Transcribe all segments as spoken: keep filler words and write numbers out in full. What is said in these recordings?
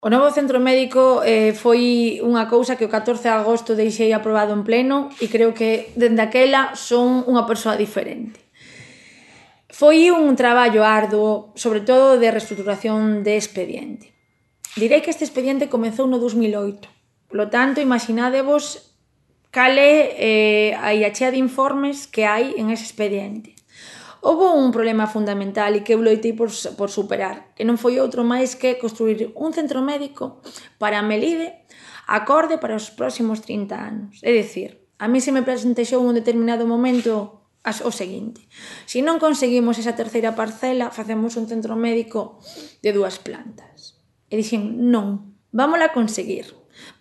O novo centro médico eh, foi unha cousa que o catorce de agosto deixei aprobado en pleno e creo que dende aquela son unha persoa diferente. Foi un traballo arduo, sobre todo de reestruturación de expediente. Direi que este expediente comezou no dos mil oito, polo tanto, imaginádevos cal é eh, a chea de informes que hai en ese expediente. Houbo un problema fundamental e que eu loitei por, por superar, que non foi outro máis que construir un centro médico para a Melide acorde para os próximos trinta anos. É dicir, a mí se me presentexou en un determinado momento o seguinte: se non conseguimos esa terceira parcela, facemos un centro médico de dúas plantas. E dixen, non, vámola conseguir,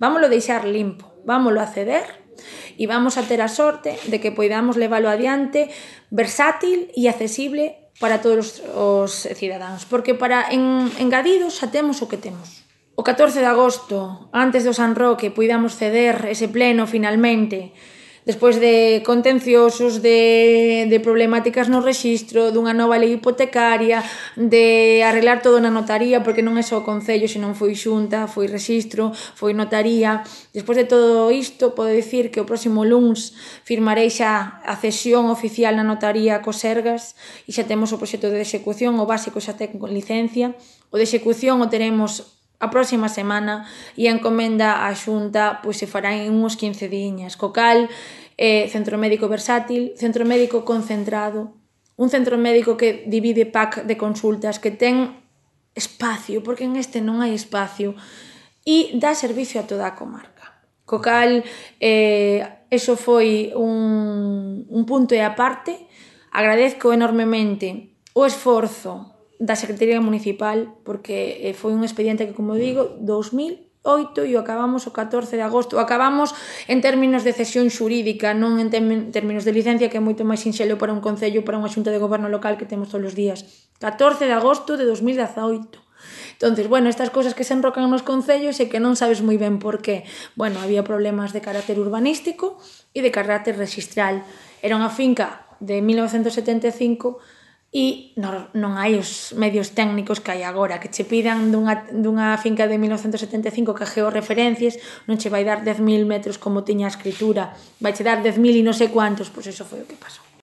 vámolo deixar limpo, vámolo acceder e vamos a ter a sorte de que poidamos leválo adiante versátil e accesible para todos os cidadáns, porque para en engadido xa temos o que temos. O catorce de agosto, antes do San Roque, poidamos ceder ese pleno finalmente, despois de contenciosos, de, de problemáticas no rexistro, dunha nova lei hipotecaria, de arreglar todo na notaría, porque non é só o Concello, senón foi xunta, foi rexistro, foi notaría. Despois de todo isto, podo dicir que o próximo luns firmarei xa a cesión oficial na notaría cos Sergas e xa temos o proxecto de execución, o básico xa ten con licencia. O de execución o teremos a próxima semana e a encomenda á xunta pois se fará en uns quince diñas, co cal eh, centro médico versátil, centro médico concentrado, un centro médico que divide pack de consultas, que ten espacio, porque en este non hai espacio, e dá servicio a toda a comarca. Co cal, eh, eso foi un, un punto e aparte. Agradezco enormemente o esforzo da Secretaría Municipal, porque foi un expediente que, como digo, dos mil oito e o acabamos o catorce de agosto. O acabamos en términos de cesión xurídica, non en términos de licencia, que é moito máis sinxelo para un concello, para unha xunta de goberno local que temos todos os días. catorce de agosto de dos mil dezaoito. Entonces, bueno, estas cousas que se enrocan nos concellos e que non sabes moi ben por qué. Bueno, había problemas de carácter urbanístico e de carácter rexistral. Era unha finca de mil novecentos setenta e cinco e non, non hai os medios técnicos que hai agora, que che pidan dunha, dunha finca de mil novecentos setenta e cinco que georreferencias non che vai dar dez mil metros como tiña a escritura, vai che dar dez mil e non sei cuantos, pois eso foi o que pasou.